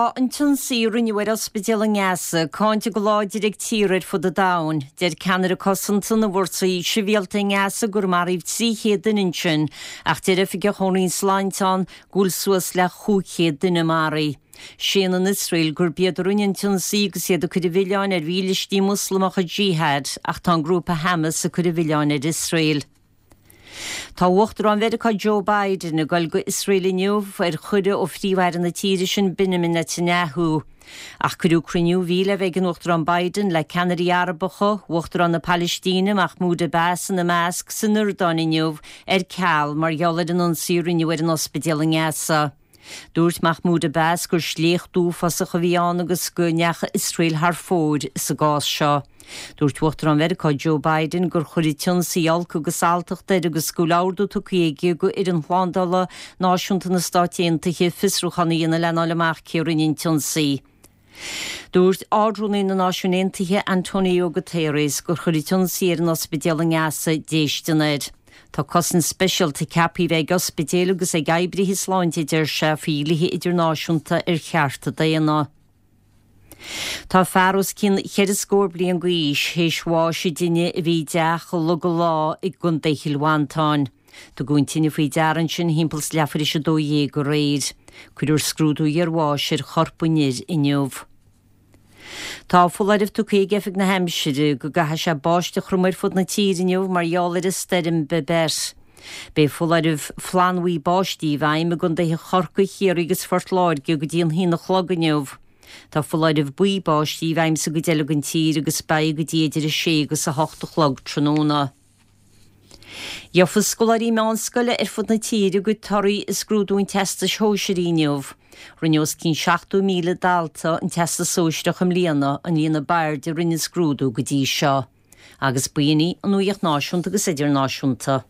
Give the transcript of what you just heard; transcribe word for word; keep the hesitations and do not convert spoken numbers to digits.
Tá an t-ionsaí a rinneadh ar ospidéal i nGaza cáinte go láidir ag tíortha ar fud an domhain. Deir ceannaire cosanta na bhfórsaí sibhialta i nGaza gur maraíodh trí chéad duine ansin, ach deir oifigeach ón Roinn Sláinte ann go bhfuil suas le cúig chéad duine maraithe. Séanann Iosrael gurb iad a rinne an t-ionsaí agus iad ag cur an mhilleáin ar mhílistí Muslamacha Jihad ach tá an grúpa Hamas ag cur an mhilleáin ar Iosrael. Tá Uachtarán Mheiriceá Joe Biden ag dul go Iosrael inniu ar chuireadh ó Phríomh-Aire na tíre sin Benjamin Netanyahu. Ach cuireadh cruinniú a bhí le bheith ag an Uachtarán Biden le ceannairí Arabacha, Uachtarán na Palaistíne Mahmoud Abbas ina measc san Iordáin inniu ar ceal mar gheall ar an ionsaí a rinneadh ar an ospidéal i nGaza. Dúirt Mahmoud Abbas gur sléacht uafásach a bhí ann agus go ndeachaigh Iosrael thar fóir sa gcás seo. Dúirt Uachtarán Mheiriceá Joe Biden gur chuir an t-ionsaí olc agus alltacht air agus go bhfuil ordú tugtha aige go fhoireann shlándála náisiúnta na Stát Aontaithe fiosrúchán a dhéanamh lena fháil amach cé a rinne an t-ionsaí. Dúirt Ard-Rúnaí na Náisiún Aontaithe Antonio Guterres gur chuir an t-ionsaí ar an ospidéal i nGaza déistin air. Tá cosaint speisialta ceaptha a bheith ag ospidéil agus ag oibrithe sláinte deir sé faoi dhlíthe idirnáisiúnta ar chearta daonna. Tá fear os cionn cheithre scór bliain d'aois théis bháis i dtine a bhí i dteach i Log an Lá i gContae Chill Mhantáin. Tugadh an tine faoi deara ansin timpeall is leathuair tar éis a dó dhéag aréir. Cuirfear scrúdú iarbháis ar chorp an fhir inniu. Tá foláireamh tugtha ag Oifig na hAimsire go gcaithfidh sé báisteach throm ar fud na tíre inniu mar gheall ar an stoirm Babet. Beidh foláireamh flannbhuí báistí i bhfeidhm i gContaetha Chorcaí, Chiarraí agus Phort Láirge go dtí an haon a chlog inniu. Tá foláireamh buí báistí i bhfeidhm sa gcuid eile den tír agus beidh go dtí idir a sé agus a hocht a chlog tráthnóna. Gheobhaidh scoláirí meánscoile ar fud na tíre a gcuid torthaí i scrúdú an teastais shóisearaigh inniu. Rinne os cionn seachtó míle dalta an teastas sóisearach i mbliana an líon ab airde a rinne scrúdú go dtí seo. Agus b'in í an nuacht náisiúnta agus idirnáisiúnta.